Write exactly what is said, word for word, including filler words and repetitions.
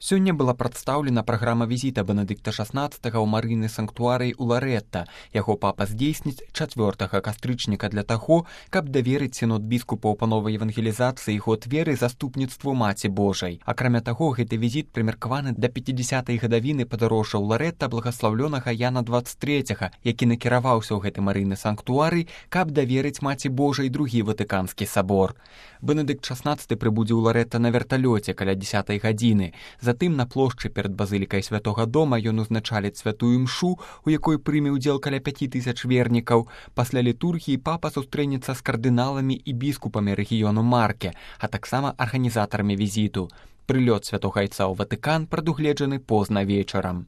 Сёння была прадстаўлена праграма візіта Бенедыкта шаснаццатага ў марыйны санктуарый у Ларетта. Яго папа здзейсніць чацвёртага кастрычніка для таго, каб даверыць сінод біскупаў па новай евангелізацыі год веры заступніцтву Маці Божай. Акрамя таго, гэты візіт прымеркаваны да пяцідзясятай гадавіны падарожжа ў Ларетта благаслаўлёнага Яна дваццаць трэцяга, які накіраваўся ў гэты марыйны санктуарый, каб даверыць Маці Божай другі ватыканскі сабор. Бенедыкт шаснаццаты прыбудзе ў Ларетта на верталёце каля дзесятай гадзіны. Затым на плошчы перад базылікай Святога Дома ён узначаліць святую імшу, у якой прыме ўдзел каля пяці тысяч вернікаў. Пасля літургіі папа сустрэнецца з кардыналамі і біскупамі рэгіёну Марке, а таксама арганізатарамі візіту. Прылёт святога айца ў Ватыкан прадугледжаны позна вечарам.